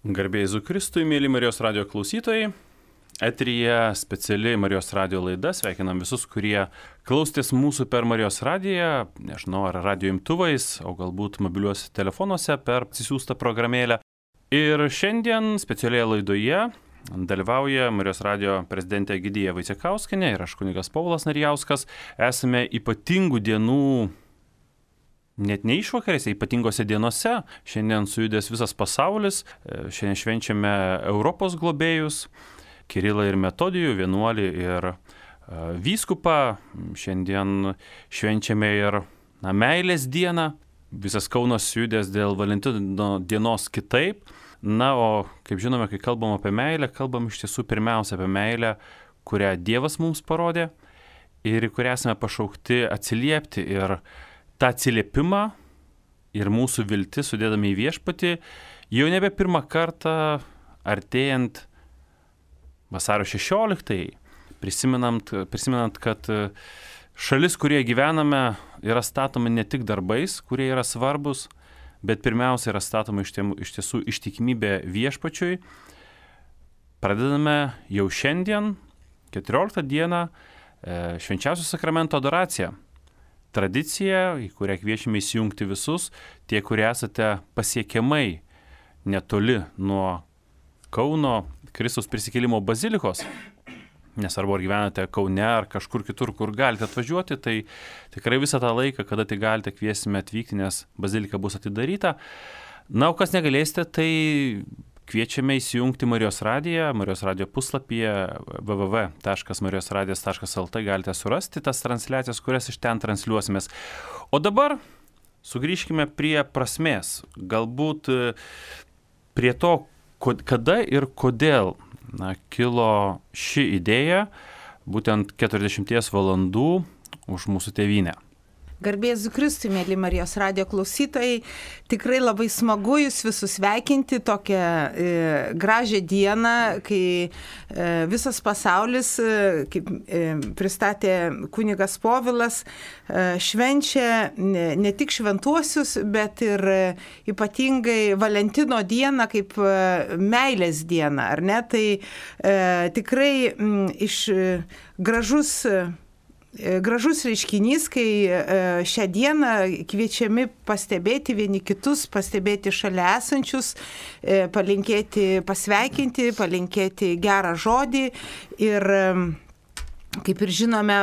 Garbė Jėzui Kristui, mėly Marijos radio klausytojai. Eteryje speciali Marijos radio laida. Sveikinam visus, kurie klausėtės mūsų per Marijos radiją, nežinau, ar radio imtuvais, o galbūt mobiliuose telefonuose per atsisiųstą programėlę. Ir šiandien specialioje laidoje dalyvauja Marijos radio prezidentė Egidija Vaicekauskienė ir aš kunigas Povilas Narijauskas. Esame ypatingų dienų, net ne išvakarėse, ypatingose dienose. Šiandien sujudęs visas pasaulis. Šiandien švenčiame Europos globėjus, Kirilą ir Metodijų, vienuolį ir vyskupą. Šiandien švenčiame ir meilės dieną. Visas Kaunas sujudęs dėl Valentino dienos kitaip. Na, o kaip žinome, kai kalbam apie meilę, kalbam iš tiesų pirmiausia apie meilę, kurią Dievas mums parodė ir į kurią esame pašaukti atsiliepti. Ir tą atsiliepimą ir mūsų viltis sudėdami į viešpatį jau nebe pirmą kartą artėjant vasario 16-ai, prisimenant, kad šalis, kurioje gyvename, yra statoma ne tik darbais, kurie yra svarbus, bet pirmiausia yra statoma iš tiesų ištikimybė viešpačiui. Pradedame jau šiandien, 14 dieną, švenčiausio sakramento adoraciją. Tradicija, į kurią kviečiame įsijungti visus, tie, kurie esate pasiekiamai netoli nuo Kauno Kristaus prisikėlimo bazilikos, nesvarbu ar gyvenate Kaune ar kažkur kitur, kur galite atvažiuoti, tai tikrai visą tą laiką, kada tai galite, kviesime atvykti, nes bazilika bus atidaryta. Na, o kas negalėsite, tai kviečiame įsijungti Marijos radiją, Marijos radijo puslapyje www.marijosradijas.lt galite surasti tas transliacijas, kurias iš ten transliuosimės. O dabar sugrįžkime prie prasmės, galbūt prie to, kada ir kodėl kilo ši idėja, būtent 40 valandų už mūsų tėvynę. Garbė Jėzui Kristui, mėly Marijos radio klausytojai, tikrai labai smagu jūs visus sveikinti tokią gražią dieną, kai visas pasaulis, kaip pristatė kunigas Povilas, švenčia ne tik šventuosius, bet ir ypatingai Valentino dieną kaip meilės dieną, ar ne? Tai tikrai gražus reiškinys, kai šią dieną kviečiami pastebėti vieni kitus, pastebėti šalia esančius, palinkėti, pasveikinti, palinkėti gerą žodį. Ir kaip ir žinome,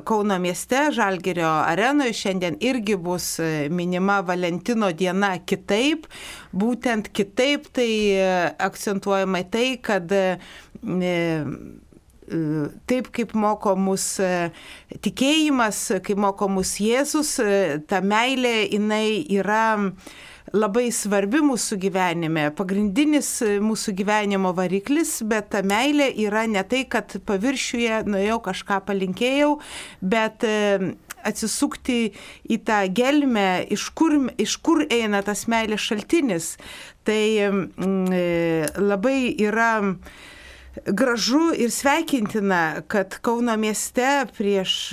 Kauno mieste, Žalgirio arenoje šiandien irgi bus minima Valentino diena kitaip. Būtent kitaip tai akcentuojama tai, kad taip kaip moko mus tikėjimas, kaip moko mus Jėzus, ta meilė, jinai yra labai svarbi mūsų gyvenime, pagrindinis mūsų gyvenimo variklis, bet ta meilė yra ne tai, kad paviršiuje nuėjau kažką palinkėjau, bet atsisukti į tą gelmę, iš kur eina tas meilės šaltinis. Tai labai yra gražu ir sveikintina, kad Kauno mieste prieš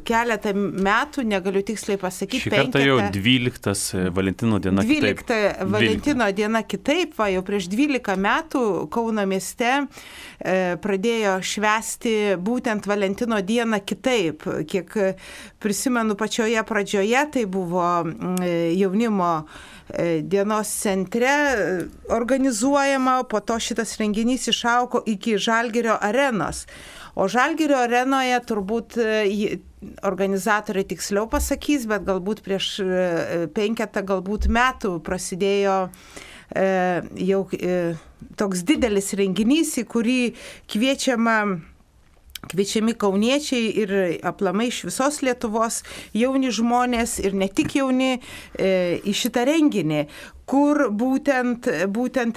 keletą metų, negaliu tiksliai pasakyti, šį kartą jau 12 Valentino diena kitaip. 12 Valentino diena kitaip, jau prieš 12 metų Kauno mieste pradėjo švęsti būtent Valentino dieną kitaip. Kiek prisimenu pačioje pradžioje, tai buvo jaunimo dienos centre organizuojama, po to šitas renginys išaugo iki Žalgirio arenos. O Žalgirio arenoje turbūt organizatoriai tiksliau pasakys, bet galbūt prieš 5 metų prasidėjo jau toks didelis renginys, į kurį kviečiami kauniečiai ir aplamai iš visos Lietuvos jauni žmonės ir ne tik jauni į šitą renginį, kur būtent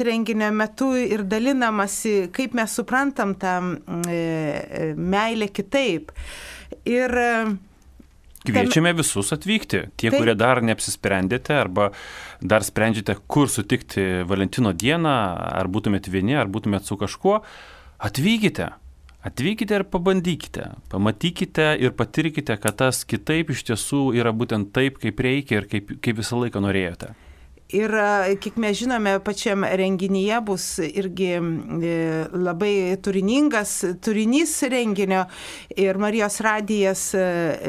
renginio metu ir dalinamasi, kaip mes suprantam tą meilę kitaip. Ir kviečiame visus atvykti. Tie, kurie dar neapsisprendėte arba dar sprendžiate, kur sutikti Valentino dieną, ar būtumėt vieni, ar būtumėt su kažkuo, atvykite. Atvykite ir pabandykite, pamatykite ir patirkite, kad tas kitaip iš tiesų yra būtent taip, kaip reikia ir kaip visą laiką norėjote. Ir kiek mes žinome, pačiam renginyje bus irgi labai turinys renginio ir Marijos radijas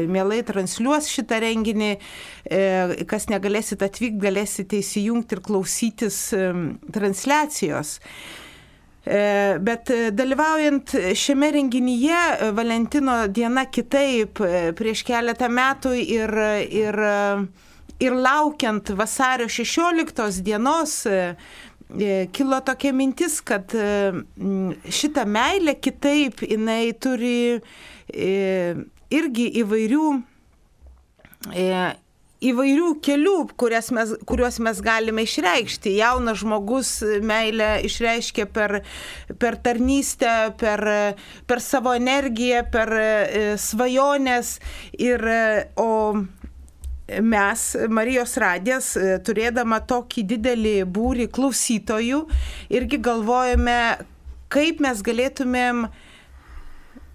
mielai transliuos šitą renginį. Kas negalėsit atvykti, galėsite įsijungti ir klausytis transliacijos. Bet dalyvaujant šiame renginyje, Valentino diena kitaip prieš keletą metų ir laukiant vasario 16 dienos kilo tokia mintis, kad šita meilė kitaip jinai turi irgi įvairių kelių, kuriuos mes galime išreikšti. Jaunas žmogus meilę išreiškia per tarnystę, per savo energiją, per svajonės. O mes, Marijos radijas, turėdama tokį didelį būrį klausytojų, irgi galvojame, kaip mes galėtumėm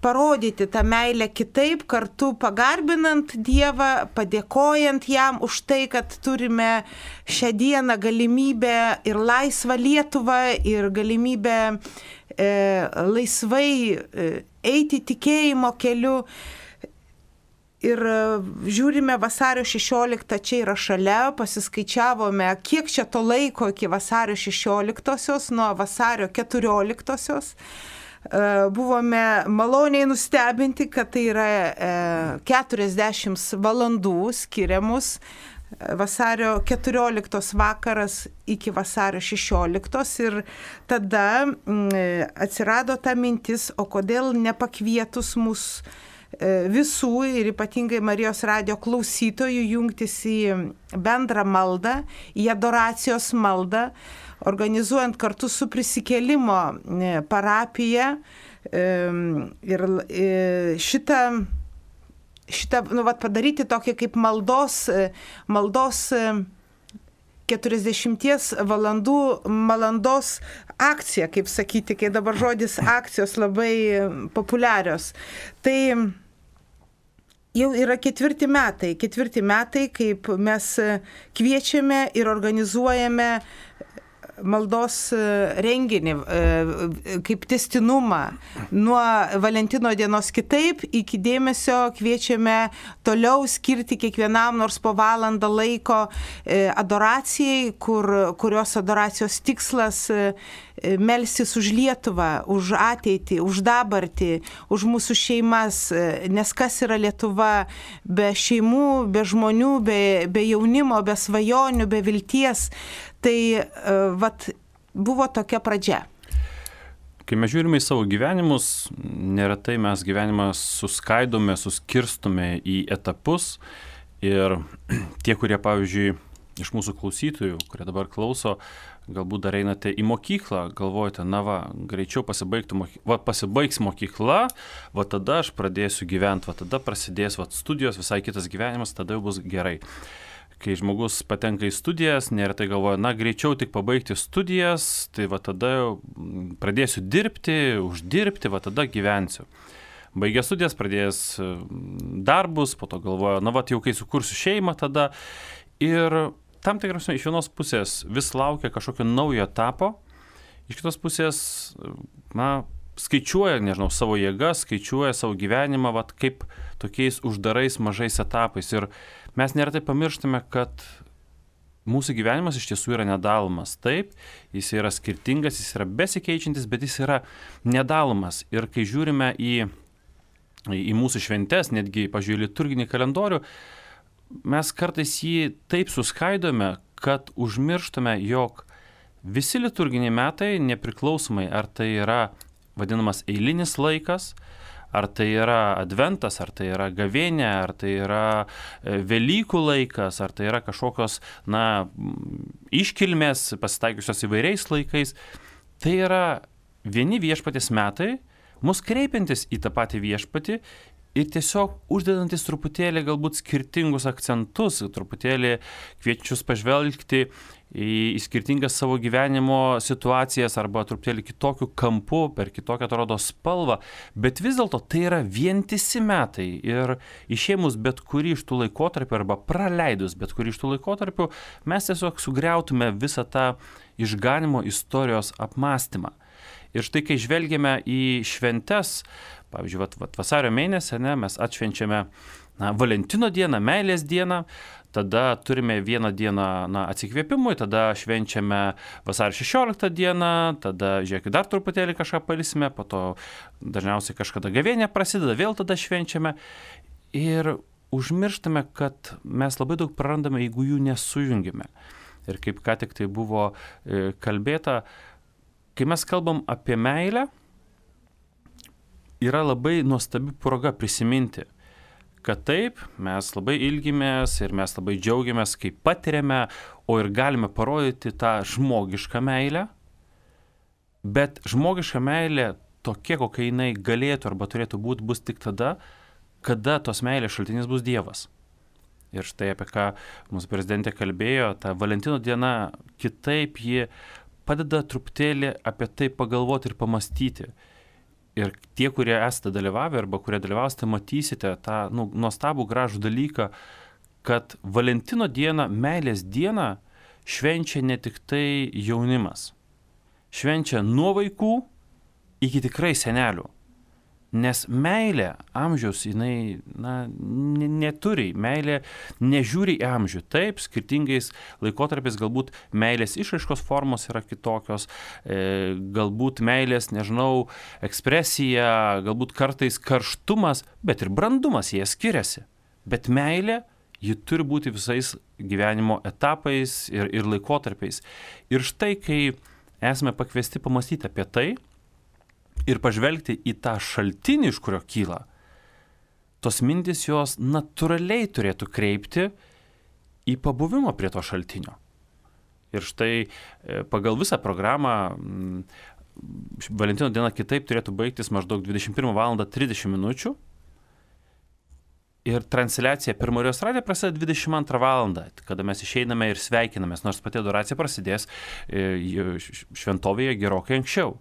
parodyti tą meilę kitaip, kartu pagarbinant Dievą, padėkojant jam už tai, kad turime šią dieną galimybę ir laisvą Lietuvą, ir galimybę laisvai eiti tikėjimo keliu. Ir žiūrime vasario 16, čia yra šalia, pasiskaičiavome, kiek čia to laiko iki vasario 16, nuo vasario 14. Buvome maloniai nustebinti, kad tai yra 40 valandų skiriamus vasario 14 vakaras iki vasario 16 ir tada atsirado ta mintis, o kodėl nepakvietus mus visų ir ypatingai Marijos radijo klausytojų jungtis į bendrą maldą, į adoracijos maldą, organizuojant kartu su Prisikėlimo parapija ir šitą padaryti tokį kaip maldos 40 valandos akcija, kaip sakyti, kai dabar žodis akcijos labai populiarios. Tai jau yra ketvirti metai, kaip mes kviečiame ir organizuojame maldos renginį, kaip testinumą. Nuo Valentino dienos kitaip iki dėmesio kviečiame toliau skirti kiekvienam nors po valandą laiko adoracijai, kurios adoracijos tikslas melstis už Lietuvą, už ateitį, už dabartį, už mūsų šeimas, nes kas yra Lietuva be šeimų, be žmonių, be jaunimo, be svajonių, be vilties. Tai buvo tokia pradžia. Kai mes žiūrime į savo gyvenimus, neretai mes gyvenimą suskirstome į etapus ir tie, kurie, pavyzdžiui, iš mūsų klausytojų, kurie dabar klauso, galbūt dar einate į mokyklą, galvojate, greičiau pasibaigs mokykla, tada aš pradėsiu gyventi, tada prasidės studijos, visai kitas gyvenimas, tada jau bus gerai. Kai žmogus patenka į studijas, neretai galvoja, greičiau tik pabaigti studijas, tai tada jau pradėsiu dirbti, uždirbti, tada gyvensiu. Baigė studijas, pradėjęs darbus, po to galvoja, jau kai sukursiu šeimą tada. Ir tam tikras iš vienos pusės vis laukia kažkokio naujo etapo, iš kitos pusės, skaičiuoja, savo jėgas, skaičiuoja savo gyvenimą, kaip tokiais uždarais mažais etapais. Ir mes neretai pamirštame, kad mūsų gyvenimas iš tiesų yra nedalomas. Taip, jis yra skirtingas, jis yra besikeičiantis, bet jis yra nedalomas. Ir kai žiūrime į mūsų šventes, netgi, pažiūrėjau, liturginį kalendorių, mes kartais jį taip suskaidome, kad užmirštame, jog visi liturginiai metai, nepriklausomai ar tai yra vadinamas eilinis laikas, ar tai yra adventas, ar tai yra gavėnė, ar tai yra Velykų laikas, ar tai yra kažkokios, iškilmės pasitaikiusios įvairiais laikais, tai yra vieni viešpaties metai, mus kreipiantis į tą patį viešpatį ir tiesiog uždedantis truputėlį galbūt skirtingus akcentus, truputėlį kviečius pažvelgti į skirtingas savo gyvenimo situacijas arba truputėlį kitokiu kampu, per kitokią atrodo spalvą, bet vis dėlto tai yra vientisi metai ir išėmus bet kurį iš tų laikotarpių arba praleidus bet kurį iš tų laikotarpių, mes tiesiog sugriautume visą tą išganimo istorijos apmąstymą. Ir štai, kai žvelgiame į šventes, pavyzdžiui, vasario mėnesį, mes atšvenčiame Valentino dieną, meilės dieną, tada turime vieną dieną atsikvėpimui, tada švenčiame vasario 16 dieną, tada, žiūrėkit, dar truputėlį kažką palisime, po to dažniausiai kažkada gavėnė prasideda, vėl tada švenčiame ir užmirštame, kad mes labai daug prarandame, jeigu jų nesujungime. Ir kaip ką tik tai buvo kalbėta, kai mes kalbam apie meilę, yra labai nuostabi proga prisiminti, kad taip, mes labai ilgimės ir mes labai džiaugiamės, kai patiriame, o ir galime parodyti tą žmogišką meilę, bet žmogiška meilė tokia, kokia jinai galėtų arba turėtų būti, bus tik tada, kada tos meilės šaltinis bus Dievas. Ir štai apie ką mūsų prezidentė kalbėjo, ta Valentino diena kitaip ji padeda truputėlį apie tai pagalvoti ir pamastyti. Ir tie, kurie esate dalyvavę arba kurie dalyvausite, matysite tą nuostabų gražų dalyką, kad Valentino dieną, meilės dieną švenčia ne tik tai jaunimas. Švenčia nuo vaikų iki tikrai senelių. Nes meilė amžiaus, jinai neturi, meilė nežiūri į amžių. Taip, skirtingais laikotarpiais galbūt meilės išraiškos formos yra kitokios, galbūt meilės, ekspresija, galbūt kartais karštumas, bet ir brandumas jie skiriasi. Bet meilė, ji turi būti visais gyvenimo etapais ir laikotarpiais. Ir štai, kai esame pakviesti pamastyti apie tai, ir pažvelgti į tą šaltinį, iš kurio kyla, tos mintis jos natūraliai turėtų kreipti į pabuvimą prie to šaltinio. Ir štai pagal visą programą Valentino diena kitaip turėtų baigtis maždaug 21:30 min. Ir transliacija per Marijos radiją prasideda 22 valandą, kada mes išeiname ir sveikinamės, nors pati adoracija prasidės šventovėje gerokai anksčiau.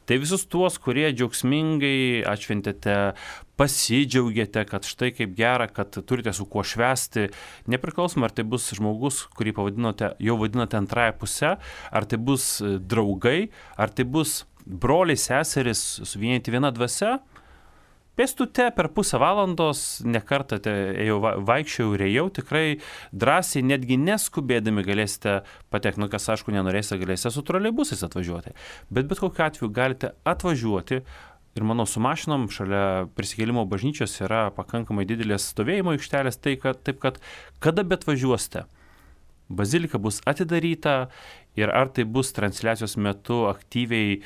Tai visus tuos, kurie džiaugsmingai atšventėte, pasidžiaugėte, kad štai kaip gera, kad turite su kuo švęsti, nepriklausomai, ar tai bus žmogus, kurį jau vadinote antrąją pusę, ar tai bus draugai, ar tai bus broliai, seserys suvienyti viena dvasia, pėstute per pusę valandos, nekartą vaikščiau ir ėjau, tikrai drąsiai, netgi neskubėdami galėsite patekti, kas aišku nenorėsite, galėsite su troleibusais atvažiuoti. Bet kokiu atveju galite atvažiuoti ir manau su mašinom šalia prisikėlimo bažnyčios yra pakankamai didelės stovėjimo aikštelės, taip kad kada bet važiuosite, bazilika bus atidaryta ir ar tai bus transliacijos metu aktyviai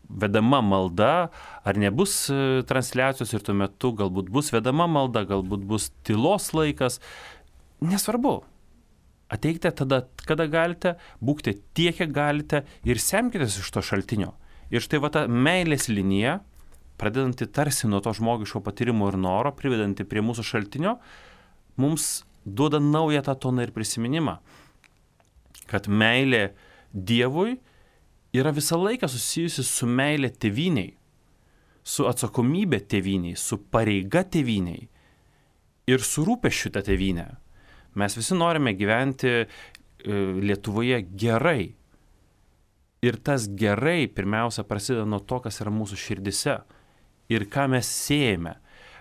vedama malda, ar nebus transliacijos ir tuo metu galbūt bus vedama malda, galbūt bus tylos laikas, nesvarbu. Ateikite tada, kada galite, būkite tiek, kiek galite ir semkitės iš to šaltinio. Ir štai ta meilės linija, pradedanti tarsi nuo to žmogiško patyrimo ir noro, privedanti prie mūsų šaltinio, mums duoda naują tą toną ir prisiminimą, kad meilė Dievui yra visą laiką susijusi su meilė tėvyniai, su atsakomybė tėvyniai, su pareiga tėvyniai ir su rūpesčiu tą tėvynę. Mes visi norime gyventi Lietuvoje gerai. Ir tas gerai pirmiausia prasideda nuo to, kas yra mūsų širdise ir ką mes siejame.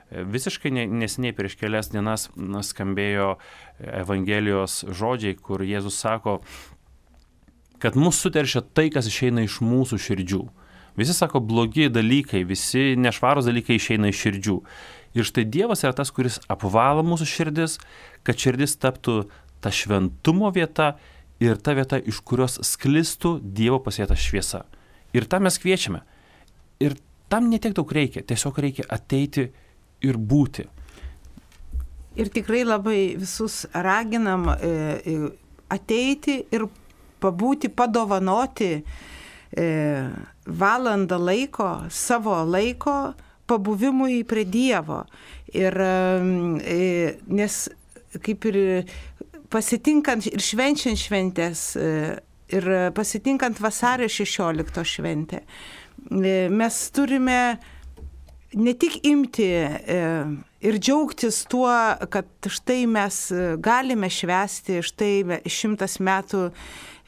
Visiškai neseniai prieš kelias dienas skambėjo Evangelijos žodžiai, kur Jėzus sako, kad mus suteršia tai, kas išeina iš mūsų širdžių. Visi sako, blogi dalykai, visi nešvarūs dalykai išeina iš širdžių. Ir štai Dievas yra tas, kuris apvalo mūsų širdis, kad širdis taptų ta šventumo vieta ir ta vieta, iš kurios sklistų Dievo pasėta šviesa. Ir tą mes kviečiame. Ir tam netiek daug reikia, tiesiog reikia ateiti ir būti. Ir tikrai labai visus raginam ateiti ir pabūti, padovanoti valandą laiko, savo laiko pabuvimui prie Dievo. Ir nes kaip ir pasitinkant ir švenčiant šventės, ir pasitinkant vasario 16 šventę, mes turime ne tik imti ir džiaugtis tuo, kad štai mes galime švęsti, štai 100 metų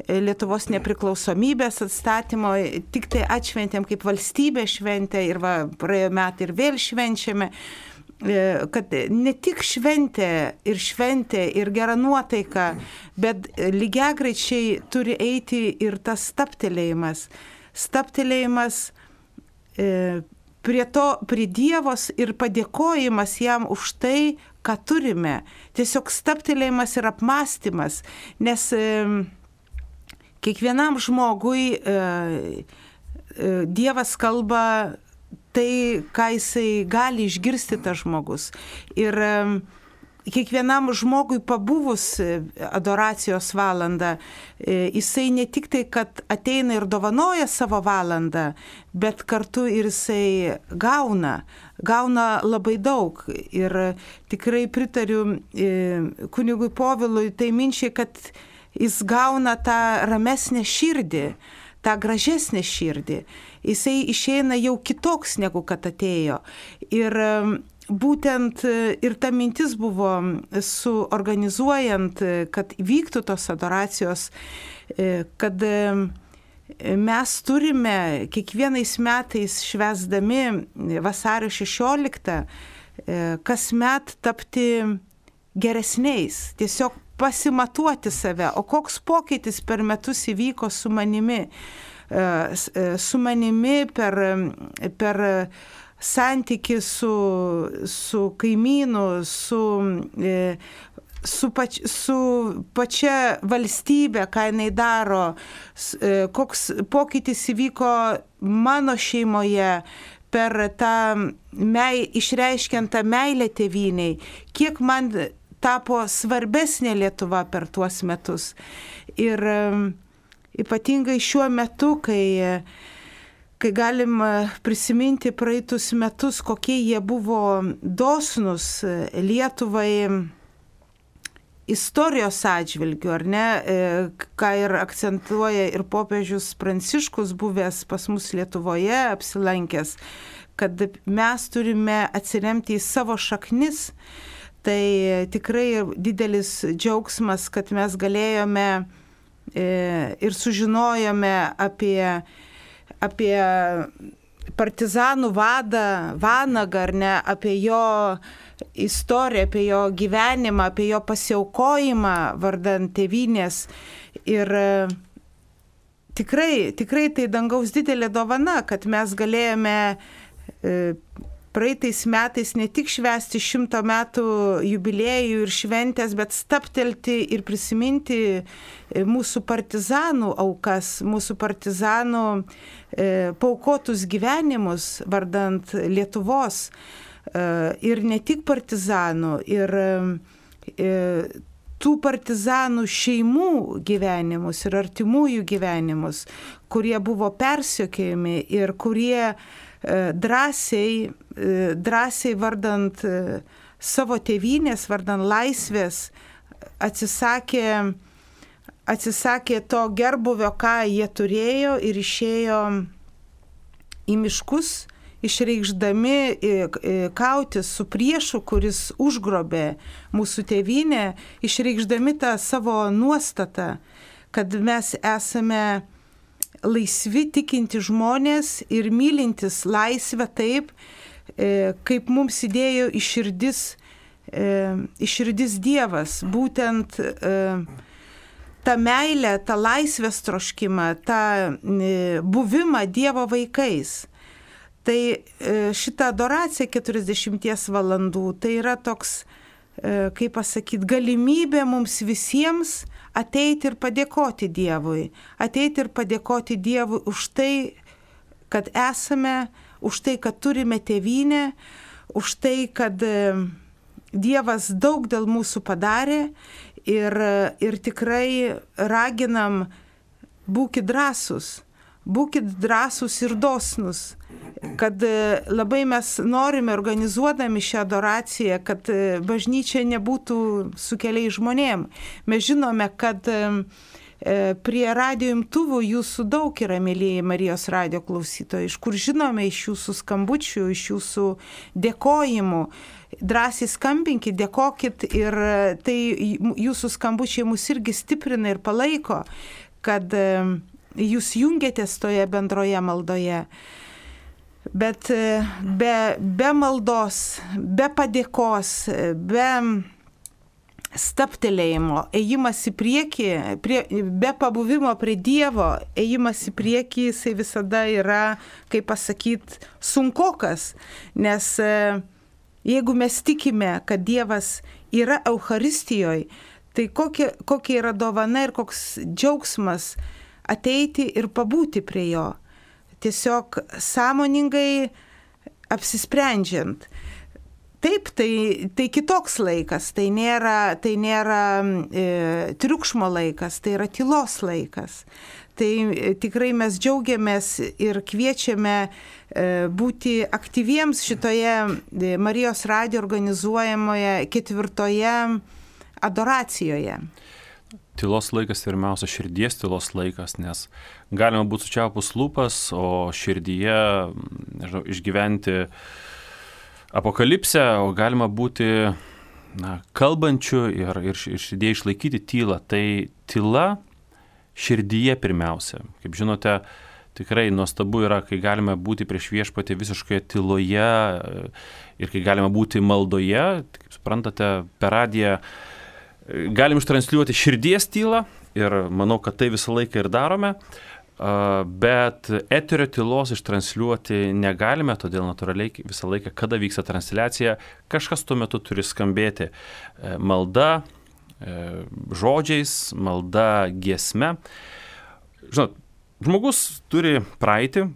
Lietuvos nepriklausomybės atstatymo, tik tai atšventėm kaip valstybė šventę ir praėjo metai ir vėl švenčiame, kad ne tik šventė ir gera nuotaika, bet lygiagrečiai turi eiti ir tas stabtelėjimas prie Dievos ir padėkojimas jam už tai, ką turime. Tiesiog stabtelėjimas ir apmąstymas, nes kiekvienam žmogui Dievas kalba tai, ką jisai gali išgirsti tas žmogus. Ir kiekvienam žmogui pabuvus adoracijos valandą, jisai ne tik tai, kad ateina ir dovanoja savo valandą, bet kartu ir jisai gauna labai daug. Ir tikrai pritariu kunigui Povilui tai minčiai, kad jis gauna tą ramesnę širdį, tą gražesnę širdį. Jisai išeina jau kitoks, negu kad atėjo. Ir būtent ir ta mintis buvo suorganizuojant, kad vyktų tos adoracijos, kad mes turime kiekvienais metais švęsdami vasario 16 kasmet tapti geresniais, tiesiog pasimatuoti save, o koks pokytis per metus įvyko su manimi per santykį su kaimynu, su pačia valstybė, ką jinai daro, koks pokytis įvyko mano šeimoje, per tą išreiškiant tą meilę tėvynei, kiek man tapo svarbesnė Lietuva per tuos metus. Ir ypatingai šiuo metu, kai galim prisiminti praeitus metus, kokie jie buvo dosnus Lietuvai istorijos atžvilgiu, ar ne, ką ir akcentuoja ir popiežius Pranciškus, buvęs pas mus Lietuvoje, apsilankęs, kad mes turime atsiremti į savo šaknis. Tai tikrai didelis džiaugsmas, kad mes galėjome ir sužinojome apie partizanų vadą Vanagą, ar ne, apie jo istoriją, apie jo gyvenimą, apie jo pasiaukojimą vardan tėvynės. Ir tikrai tai dangaus didelė dovana, kad mes galėjome praeitais metais ne tik švęsti 100 metų jubiliejų ir šventės, bet stabtelti ir prisiminti mūsų partizanų aukas, mūsų partizanų paaukotus gyvenimus vardant Lietuvos. Ir ne tik partizanų, ir tų partizanų šeimų gyvenimus ir artimųjų gyvenimus, kurie buvo persekiojami ir kurie drąsiai vardant savo tėvynės, vardant laisvės, atsisakė to gerbuvio, ką jie turėjo, ir išėjo į miškus, išreikšdami kautis su priešu, kuris užgrobė mūsų tėvynę, išreikšdami tą savo nuostatą, kad mes esame laisvi tikinti žmonės ir mylintis laisvę taip, kaip mums įdėjo į širdis Dievas. Būtent tą meilę, tą laisvės troškimą, tą buvimą Dievo vaikais. Tai šita adoracija 40 valandų, tai yra toks, kaip pasakyti, galimybė mums visiems ateiti ir padėkoti Dievui. Ateiti ir padėkoti Dievui už tai, kad esame, už tai, kad turime tėvynę, už tai, kad Dievas daug dėl mūsų padarė ir tikrai raginam, būkit drąsus, būkit drąsūs ir dosnus, kad labai mes norime, organizuodami šią adoraciją, kad bažnyčia nebūtų su keliais žmonėm. Mes žinome, kad prie radijo imtuvų jūsų daug yra, mėlyjeji Marijos radijo klausytojai, iš kur žinome iš jūsų skambučių, iš jūsų dėkojimų. Drąsiai skambinkit, dėkokit ir tai jūsų skambučiai mus irgi stiprina ir palaiko, kad jūs jungiatės toje bendroje maldoje. Bet be maldos, be padėkos, be staptelėjimo, ėjimas į priekį, be pabuvimo prie Dievo, ėjimas į priekį, jisai visada yra, kaip pasakyti, sunkokas. Nes jeigu mes tikime, kad Dievas yra Eucharistijoje, tai kokia yra dovana ir koks džiaugsmas ateiti ir pabūti prie jo. Tiesiog sąmoningai apsisprendžiant. Taip, tai kitoks laikas, tai nėra triukšmo laikas, tai yra tylos laikas. Tai tikrai mes džiaugiamės ir kviečiame būti aktyviems šitoje Marijos radijo organizuojamoje 4 adoracijoje. Tylos laikas pirmiausia širdies tylos laikas, nes galima būti sučiaupus lūpas, o širdyje išgyventi apokalipsę, o galima būti kalbančių ir širdie išlaikyti tylą. Tai tyla širdyje pirmiausia. Kaip žinote, tikrai nuostabu yra, kai galime būti prieš viešpatį visiškoje tyloje ir kai galime būti maldoje. Kaip suprantate, per radiją galim ištransliuoti širdies tylą ir manau, kad tai visą laiką ir darome. Bet eterio tylos ištransliuoti negalime, todėl natūraliai visą laiką, kada vyksta transliacija, kažkas tuo metu turi skambėti. Malda žodžiais, malda giesme. Žinot, žmogus turi praeitį,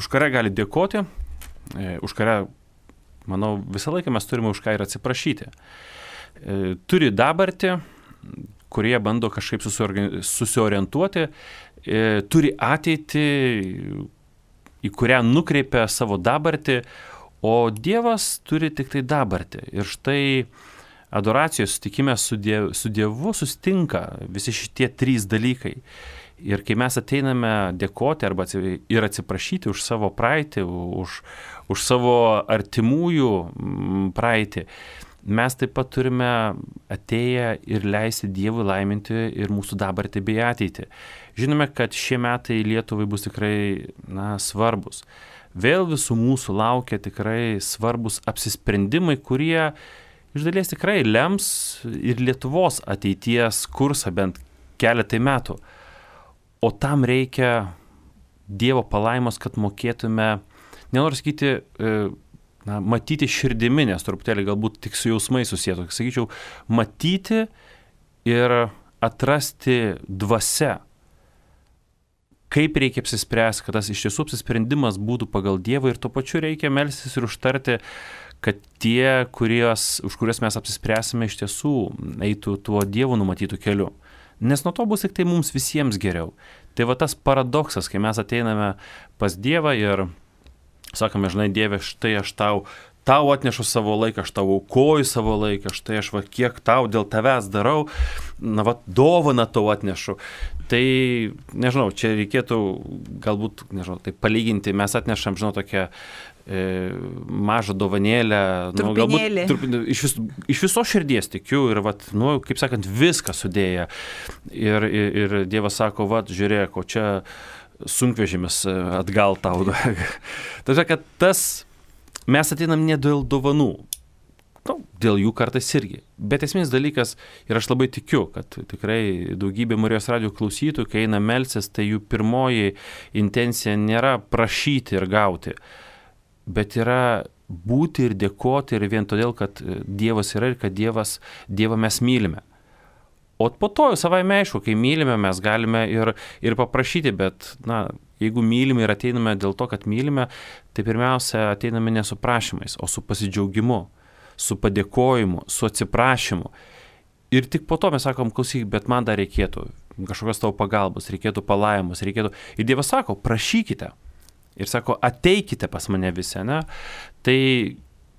už kurią gali dėkoti, už kurią, manau, visą laiką mes turime už ką ir atsiprašyti. Turi dabartį, kurie bando kažkaip susiorientuoti, turi ateitį, į kurią nukreipia savo dabartį, o Dievas turi tik tai dabartį. Ir štai adoracijos susitikime su Dievu sustinka visi šitie 3 dalykai. Ir kai mes ateiname dėkoti arba ir atsiprašyti už savo praeitį, už savo artimųjų praeitį, mes taip pat turime atėję ir leisti Dievui laiminti ir mūsų dabartį bei ateitį. Žinome, kad šie metai Lietuvai bus tikrai svarbus. Vėl visų mūsų laukia tikrai svarbus apsisprendimai, kurie iš dalies tikrai lems ir Lietuvos ateities kursą bent keletai metų. O tam reikia Dievo palaimos, kad mokėtume, nenoriu sakyti, matyti širdimi, nes truputėlį galbūt tik su jausmai susietų. Sakyčiau, matyti ir atrasti dvasia, kaip reikia apsispręsti, kad tas iš tiesų apsisprendimas būtų pagal Dievą ir tuo pačiu reikia melstis ir užtarti, kad tie, už kuriuos mes apsispręsime, iš tiesų eitų tuo Dievo numatytų keliu. Nes nuo to bus tik tai mums visiems geriau. Tai va tas paradoksas, kai mes ateiname pas Dievą ir sakome, žinai, Dieve, štai aš tau atnešu savo laiką, aš tau aukoju savo laiką, štai aš kiek tau dėl tavęs darau, dovaną tau atnešu. Tai, nežinau, čia reikėtų galbūt, tai palyginti, mes atnešam, tokią mažą dovanėlę, galbūt iš viso širdies tikiu ir, kaip sakant, viską sudėję. Ir Dievas sako, žiūrėk, o čia sunkvežimis atgal tau. Tai kad mes ateinam ne dėl dovanų, dėl jų kartais irgi. Bet esminis dalykas, ir aš labai tikiu, kad tikrai daugybė Marijos radijo klausytojų, kai eina melstis, tai jų pirmoji intencija nėra prašyti ir gauti, bet yra būti ir dėkoti ir vien todėl, kad Dievas yra ir kad Dievą mes mylime. O po to jau savaime aišku, kai mylime, mes galime ir paprašyti, bet, jeigu mylime ir ateiname dėl to, kad mylime, tai pirmiausia ateiname ne su prašymais, o su pasidžiaugimu, su padėkojimu, su atsiprašymu. Ir tik po to mes sakom, klausyk, bet man dar reikėtų kažkokios tavo pagalbos, reikėtų palaimos, reikėtų. Ir Dievas sako, prašykite. Ir sako, ateikite pas mane visi, ne? Tai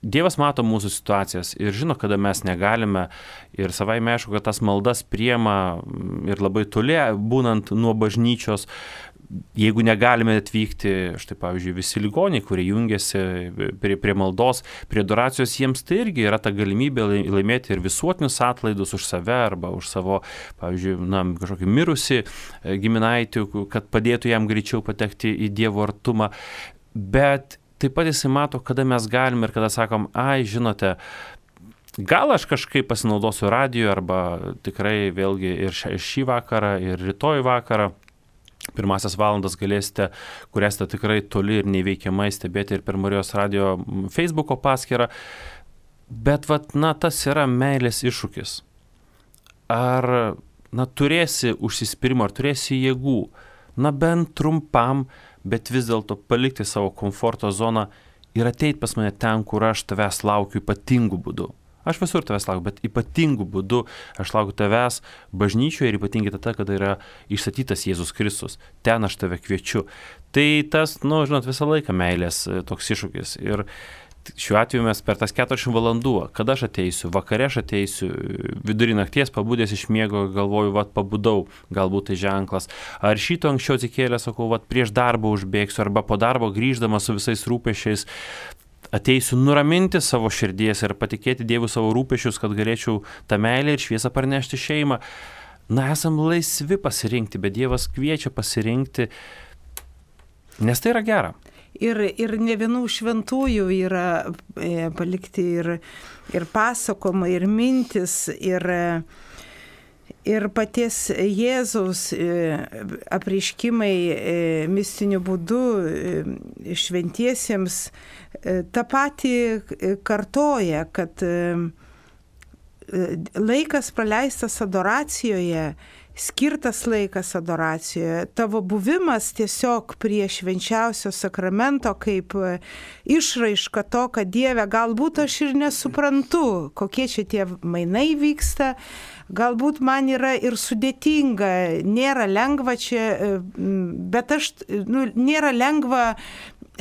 Dievas mato mūsų situacijas ir žino, kada mes negalime. Ir savaime aišku, kad tas maldas priema ir labai toli, būnant nuo bažnyčios. Jeigu negalime atvykti, štai pavyzdžiui, visi ligoniai, kurie jungiasi prie maldos, prie adoracijos, jiems tai irgi yra ta galimybė laimėti ir visuotinius atlaidus už save arba už savo, pavyzdžiui, kažkokį mirusį giminaitį, kad padėtų jam greičiau patekti į Dievo artumą. Bet taip pat jisai mato, kada mes galime ir kada sakom, žinote, gal aš kažkaip pasinaudosiu radiju arba tikrai vėlgi ir šį vakarą, ir rytoj vakarą. Pirmasias valandas galėsite, kur esate tikrai toli ir neįveikiamai stebėti ir per Marijos radijo Facebooko paskyrą. Bet tas yra meilės iššūkis. Ar turėsi užsispyrimo, ar turėsi jėgų, bent trumpam, bet vis dėlto palikti savo komforto zoną ir ateiti pas mane ten, kur aš tavęs laukiu ypatingų būdų. Aš visur tavęs laukiu, bet ypatingų būdų aš laukiu tavęs bažnyčioje ir ypatingai tada, kada yra išstatytas Jėzus Kristus. Ten aš tave kviečiu. Tai tas, visą laiką meilės toks iššūkis. Ir šiuo atveju mes per tas 40 valandų, kada aš ateisiu, vakare aš ateisiu, vidurį nakties pabudęs iš miego, galvoju, pabudau, galbūt tai ženklas. Ar šito anksčiau atsikėlęs, sakau, prieš darbą užbėgsiu, arba po darbo grįždamas su visais rūpesčiais, ateisiu nuraminti savo širdies ir patikėti Dievui savo rūpesčius, kad galėčiau tą meilę ir šviesą parnešti šeimą. Esam laisvi pasirinkti, bet Dievas kviečia pasirinkti, nes tai yra gera. Ir ne vienų šventųjų yra palikti ir pasakoma, ir mintis, ir paties Jėzaus apreiškimai mistiniu būdu šventiesiems tą patį kartoja, kad laikas praleistas adoracijoje, skirtas laikas adoracijoje, tavo buvimas tiesiog prie švenčiausio sakramento kaip išraiška to, kad Dieve, galbūt aš ir nesuprantu, kokie čia tie mainai vyksta, galbūt man yra ir sudėtinga, nėra lengva čia, bet nėra lengva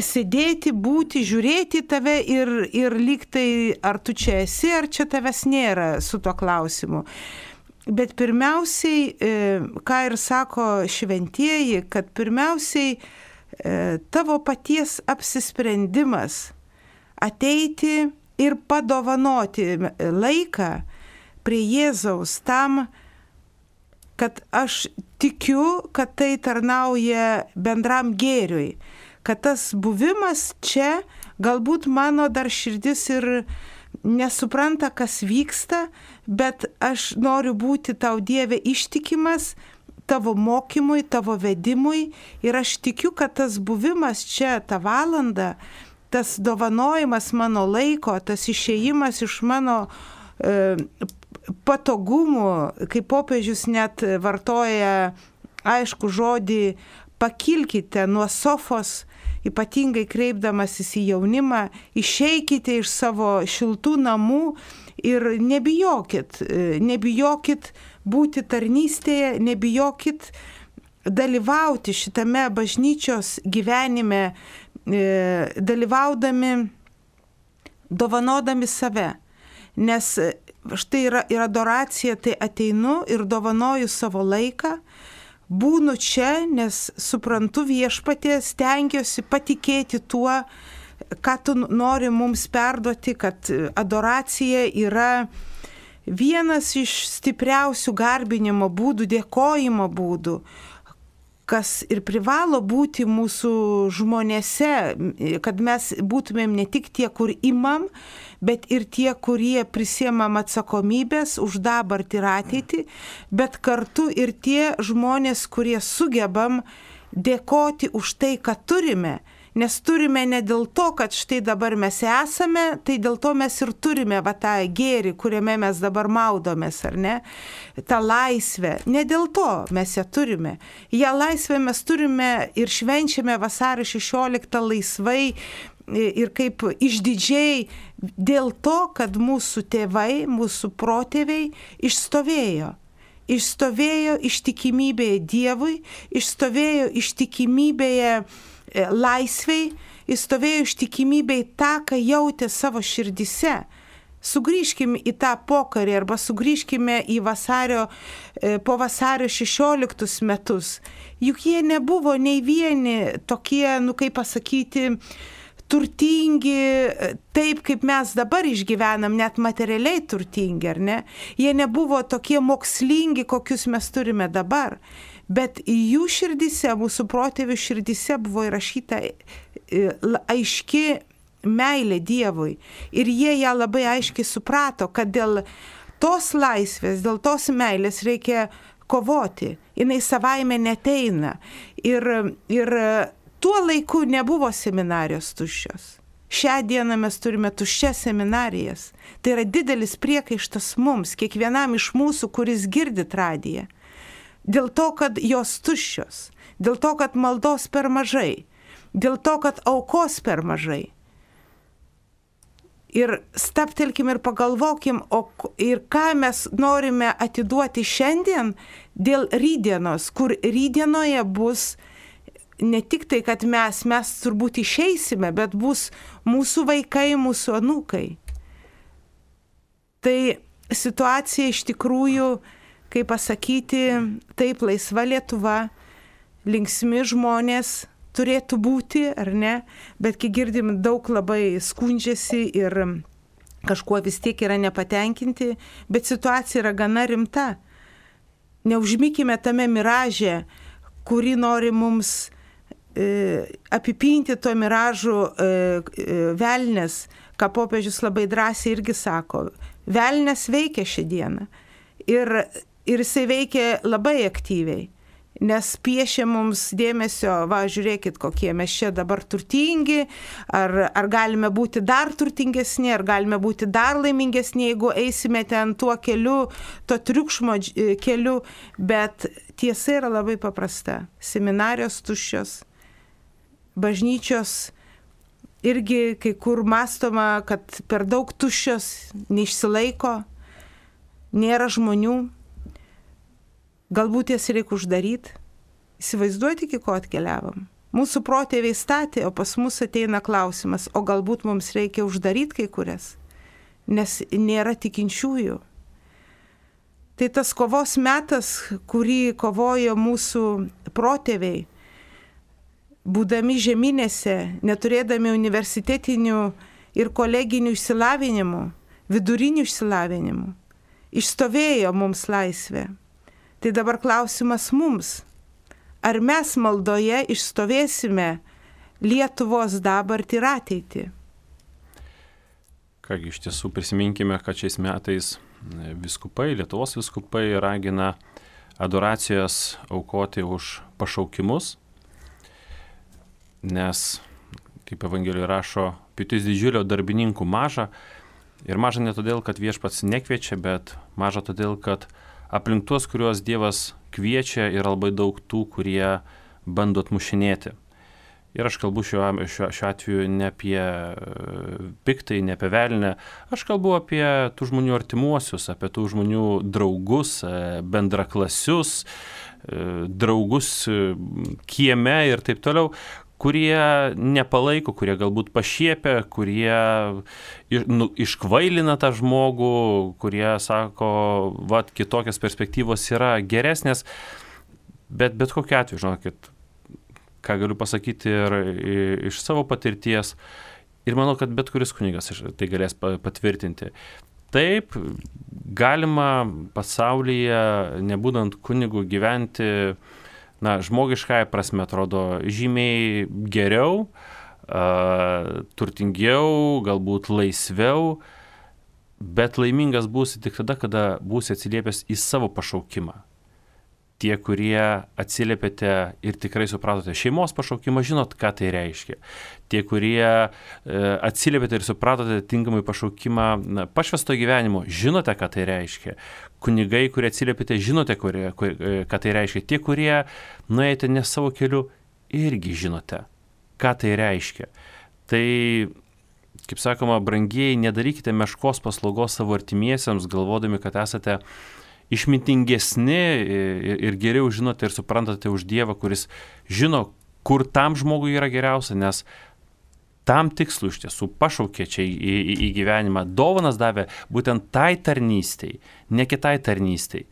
sėdėti, būti, žiūrėti tave ir lyg tai, ar tu čia esi, ar čia tavęs nėra su tuo klausimu. Bet pirmiausiai, ką ir sako šventieji, kad pirmiausiai tavo paties apsisprendimas ateiti ir padovanoti laiką prie Jėzaus tam, kad aš tikiu, kad tai tarnauja bendram gėriui, kad tas buvimas čia, galbūt mano dar širdis ir nesupranta, kas vyksta, bet aš noriu būti tau, Dieve, ištikimas tavo mokymui, tavo vedimui ir aš tikiu, kad tas buvimas čia, tą valandą, tas dovanojimas mano laiko, tas išėjimas iš mano patogumų, kaip popiežius net vartoja aišku žodį, pakilkite nuo sofos, ypatingai kreipdamasis į jaunimą, išeikite iš savo šiltų namų ir nebijokit būti tarnystėje, nebijokit dalyvauti šitame bažnyčios gyvenime, dalyvaudami, dovanodami save. Nes štai yra adoracija, tai ateinu ir dovanoju savo laiką, būnu čia, nes suprantu Viešpatie, stengiuosi patikėti tuo, ką tu nori mums perduoti, kad adoracija yra vienas iš stipriausių garbinimo būdų, dėkojimo būdų, kas ir privalo būti mūsų žmonėse, kad mes būtumėm ne tik tie, kur imam, bet ir tie, kurie prisiemam atsakomybės už dabartį ir ateitį, bet kartu ir tie žmonės, kurie sugebam dėkoti už tai, ką turime. Nes turime ne dėl to, kad štai dabar mes esame, tai dėl to mes ir turime tą gėrį, kuriame mes dabar maudomės, ar ne? Ta laisvė. Ne dėl to mes ją turime. Ja laisvę mes turime ir švenčiame vasario 16 laisvai, ir kaip išdidžiai dėl to, kad mūsų tėvai, mūsų protėviai išstovėjo. Išstovėjo ištikimybėje Dievui, išstovėjo ištikimybėje laisvei, išstovėjo ištikimybėje tą, ką jautė savo širdise. Sugrįžkime į tą pokarį arba sugrįžkime į po vasario 16 metus. Juk jie nebuvo nei vieni tokie, kaip pasakyti, turtingi, taip kaip mes dabar išgyvenam, net materialiai turtingi, ar ne? Jie nebuvo tokie mokslingi, kokius mes turime dabar. Bet jų širdise, mūsų protėvių širdise buvo įrašyta aiški meilė Dievui. Ir jie ją labai aiškiai suprato, kad dėl tos laisvės, dėl tos meilės reikia kovoti. Jinai savaime neteina. Ir tuo laiku nebuvo seminarijos tuščios. Šią dieną mes turime tuščias seminarijas. Tai yra didelis priekaištas mums, kiekvienam iš mūsų, kuris girdi radiją. Dėl to, kad jos tuščios. Dėl to, kad maldos per mažai. Dėl to, kad aukos per mažai. Ir staptelkim ir pagalvokim, ir ką mes norime atiduoti šiandien dėl rydienos, kur rydienoje bus ne tik tai, kad mes turbūt išeisime, bet bus mūsų vaikai, mūsų anūkai. Tai situacija iš tikrųjų, kaip pasakyti, taip laisva Lietuva, linksmi žmonės turėtų būti, ar ne, bet kai girdim, daug labai skundžiasi ir kažkuo vis tiek yra nepatenkinti, bet situacija yra gana rimta. Neužmykime tame miraže, kuri nori mums apipinti to miražų velnes, ką popiežius labai drąsiai irgi sako. Velnes veikia šią dieną ir jisai veikia labai aktyviai. Nes piešia mums dėmesio, žiūrėkit, kokie mes čia dabar turtingi, ar galime būti dar turtingesni, ar galime būti dar laimingesni, jeigu eisime ten tuo keliu, to triukšmo keliu, bet tiesa yra labai paprasta. Seminarijos tuščios, bažnyčios irgi kai kur mąstoma, kad per daug tuščios, neišsilaiko, nėra žmonių. Galbūt jas reikia uždaryti. Įsivaizduoti, iki ko atkeliavom. Mūsų protėviai statė, o pas mus ateina klausimas, o galbūt mums reikia uždaryti kai kurias, nes nėra tikinčiųjų. Tai tas kovos metas, kurį kovojo mūsų protėviai, būdami žeminėse, neturėdami universitetinių ir koleginių išsilavinimų, vidurinių išsilavinimų, išstovėjo mums laisvę. Tai dabar klausimas mums, ar mes maldoje išstovėsime Lietuvos dabartį ir ateitį? Kągi, iš tiesų prisiminkime, kad šiais metais viskupai, Lietuvos viskupai ragina adoracijas aukoti už pašaukimus, nes, kaip Evangelijoje rašo, pjūtis didžiulio darbininkų maža, ir maža ne todėl, kad viešpats nekviečia, bet maža todėl, kad aplink tuos, kuriuos Dievas kviečia, yra labai daug tų, kurie bando atmušinėti. Ir aš kalbu šiuo atveju ne apie piktai, ne apie velnę, aš kalbu apie tų žmonių artimuosius, apie tų žmonių draugus, bendraklasius, draugus kieme ir taip toliau, kurie nepalaiko, kurie galbūt pašiepia, kurie iškvailina tą žmogų, kurie sako, kitokios perspektyvos yra geresnės, bet kokiu atveju, žinokit, ką galiu pasakyti ir iš savo patirties, ir manau, kad bet kuris kunigas tai galės patvirtinti. Taip, galima pasaulyje, nebūdant kunigu, gyventi, žmogiškąja prasme atrodo žymiai geriau, turtingiau, galbūt laisviau, bet laimingas būsi tik tada, kada būsi atsiliepęs į savo pašaukimą. Tie, kurie atsiliepėte ir tikrai supratote šeimos pašaukimą, žinot, ką tai reiškia. Tie, kurie atsiliepėte ir supratote tinkamai pašaukimą pašvęsto gyvenimo, žinote, ką tai reiškia. Kunigai, kurie atsiliepėte, žinote, ką tai reiškia. Tie, kurie nuėjote ne savo keliu, irgi žinote, ką tai reiškia. Tai, kaip sakoma, brangieji, nedarykite meškos paslaugos savo artimiesiems, galvodami, kad esate išmintingesni ir geriau žinote ir suprantate už Dievą, kuris žino, kur tam žmogui yra geriausia, nes tam tikslu iš tiesų pašaukė čia į gyvenimą. Dovanas davė būtent tai tarnystei, ne kitai tarnystei.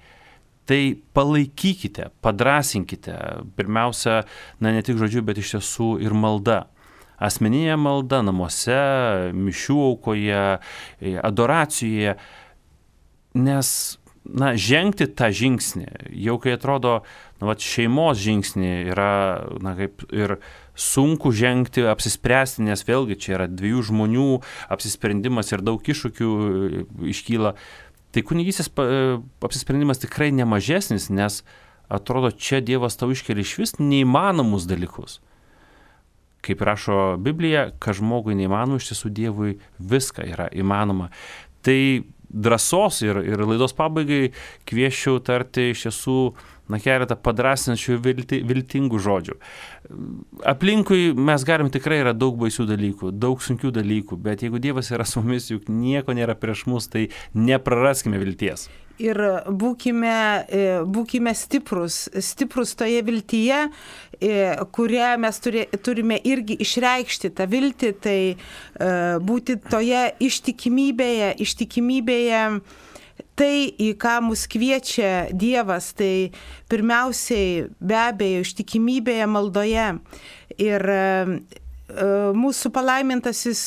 Tai palaikykite, padrasinkite, pirmiausia, ne tik žodžiu, bet iš tiesų ir malda. Asmeninė malda namuose, mišių aukoje, adoracijoje, nes žengti tą žingsnį, jau kai atrodo, šeimos žingsnį yra kaip ir sunku žengti, apsispręsti, nes vėlgi čia yra dviejų žmonių apsisprendimas ir daug iššūkių iškyla. Tai kunigystės apsisprendimas tikrai nemažesnis, nes atrodo, čia Dievas tau iškelia išvis neįmanomus dalykus. Kaip rašo Biblija, kad žmogui neįmanoma, iš tiesų Dievui viską yra įmanoma. Tai drąsos ir laidos pabaigai kvieščiau tarti iš tiesų keletą padrasinančių viltingų žodžių. Aplinkui mes galim tikrai yra daug baisių dalykų, daug sunkių dalykų, bet jeigu Dievas yra su mumis, juk nieko nėra prieš mus, tai nepraraskime vilties. Ir būkime stiprus toje viltyje, kurią mes turime irgi išreikšti tą viltį, tai būti toje ištikimybėje, tai, į ką mus kviečia Dievas, tai pirmiausiai be abejo ištikimybėje maldoje. Ir mūsų palaimintasis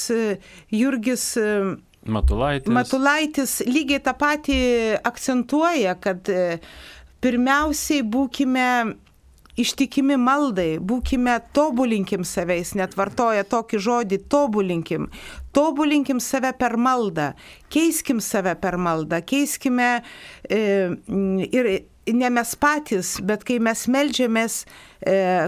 Jurgis Matulaitis lygiai tą patį akcentuoja, kad pirmiausiai būkime ištikimi maldai, tobulinkim savęs, net vartoja tokį žodį, tobulinkim save per maldą, keiskim save per maldą, keiskime ir ne mes patys, bet kai mes meldžiamės,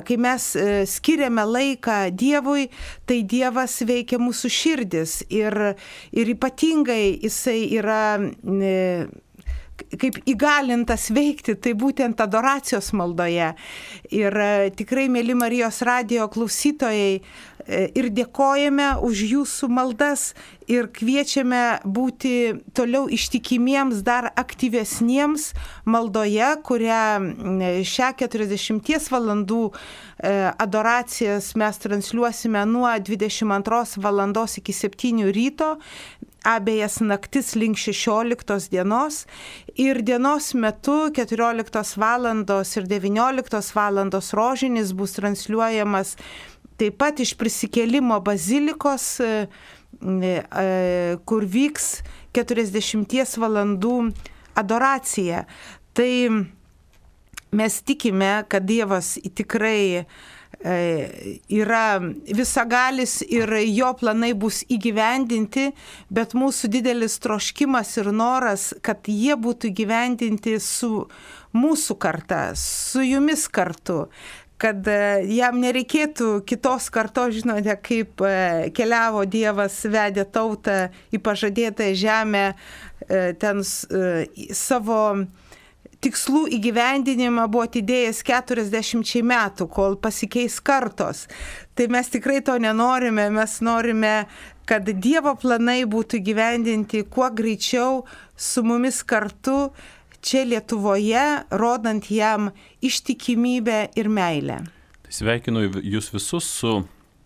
kai mes skiriame laiką Dievui, tai Dievas veikia mūsų širdis ir ypatingai jisai yra kaip įgalintas veikti, tai būtent adoracijos maldoje. Ir tikrai, mėly Marijos radijo klausytojai, ir dėkojame už jūsų maldas ir kviečiame būti toliau ištikimiems, dar aktyvesniems maldoje, kurią šią 40 valandų adoracijas mes transliuosime nuo 22 valandos iki 7 ryto, abejas naktis link 16 dienos ir dienos metu 14 valandos ir 19 valandos rožinis bus transliuojamas taip pat iš prisikėlimo bazilikos, kur vyks 40 valandų adoracija. Tai mes tikime, kad Dievas tikrai yra visagalis ir jo planai bus įgyvendinti, bet mūsų didelis troškimas ir noras, kad jie būtų įgyvendinti su mūsų karta, su jumis kartu, kad jam nereikėtų kitos kartos, žinote, kaip keliavo Dievas, vedė tautą į pažadėtąją žemę, ten savo tikslų įgyvendinimą buvo atidėjęs 40 metų, kol pasikeis kartos. Tai mes tikrai to nenorime, mes norime, kad Dievo planai būtų įgyvendinti kuo greičiau su mumis kartu čia Lietuvoje, rodant jam ištikimybę ir meilę. Sveikinu jūs visus su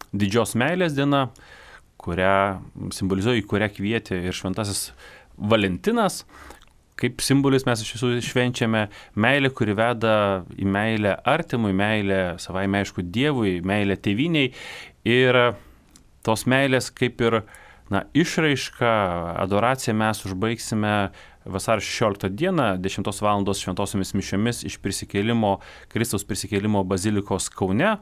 didžios meilės diena, kurią simbolizuoja, į kurią kvietė ir šventasis Valentinas. Kaip simbolis mes iš visų švenčiame meilę, kuri veda į meilę artimui, meilę savaime aišku Dievui, meilę tėvynei. Ir tos meilės kaip ir išraišką, adoraciją mes užbaigsime vasario 16 dieną, 10 valandos šventosiomis mišiomis iš Kristaus prisikėlimo bazilikos Kaune,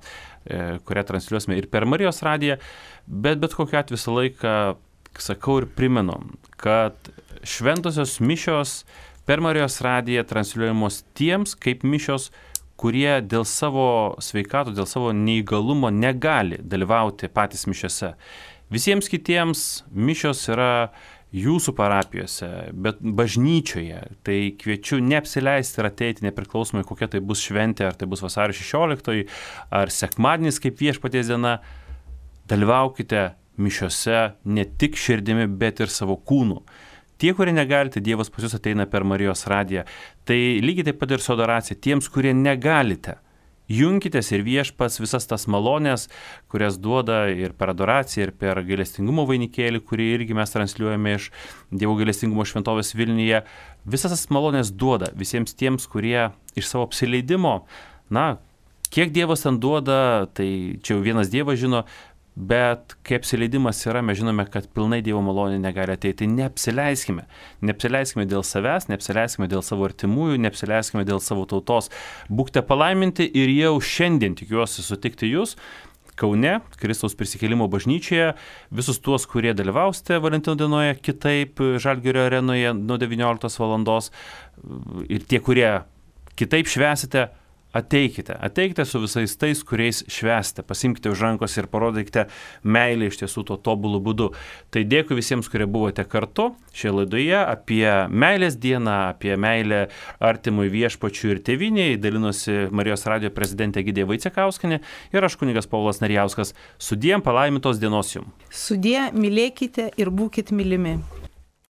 kurią transliuosime ir per Marijos radiją, bet kokiu atveju visą laiką sakau ir primenu, kad šventosios mišios per Marijos radiją transliuojamos tiems kaip mišios, kurie dėl savo sveikatų, dėl savo neįgalumo negali dalyvauti patys mišiose. Visiems kitiems mišios yra jūsų parapijose, bet bažnyčioje. Tai kviečiu neapsileisti ir ateiti nepriklausomai, kokia tai bus šventė, ar tai bus vasario 16, ar sekmadienis kaip Viešpaties diena. Dalyvaukite mišiose ne tik širdimi, bet ir savo kūnu. Tie, kurie negalite, Dievas pas jūs ateina per Marijos radiją. Tai lygiai taip pat ir su adoracija. Tiems, kurie negalite, junkitės ir Viešpats visas tas malonės, kurias duoda ir per adoraciją, ir per gailestingumo vainikėlį, kurį irgi mes transliuojame iš Dievo gailestingumo šventovės Vilniuje. Visas tas malonės duoda visiems tiems, kurie iš savo apsileidimo, kiek Dievas ten duoda, tai čia jau vienas Dievas žino, bet kai apsileidimas yra, mes žinome, kad pilnai Dievo malonė negali ateiti. Neapsileiskime. Neapsileiskime dėl savęs, neapsileiskime dėl savo artimųjų, neapsileiskime dėl savo tautos. Būkite palaiminti ir jau šiandien tikiuosi sutikti jūs Kaune, Kristaus prisikėlimo bažnyčioje. Visus tuos, kurie dalyvausite Valentino dienoje kitaip Žalgirio arenoje nuo 19 valandos ir tie, kurie kitaip švęsite, ateikite su visais tais, kuriais švęsite, pasimkite už rankos ir parodykite meilę iš tiesų to tobulų būdu. Tai dėkui visiems, kurie buvote kartu šioje laidoje apie meilės dieną, apie meilę artimui Viešpačiui ir tėvynei. Dalinosi Marijos radijo prezidentė Egidija Vaicekauskienė ir aš kunigas Povilas Narjauskas. Sudie, palaimintos dienos jums. Sudie, mylėkite ir būkite mylimi.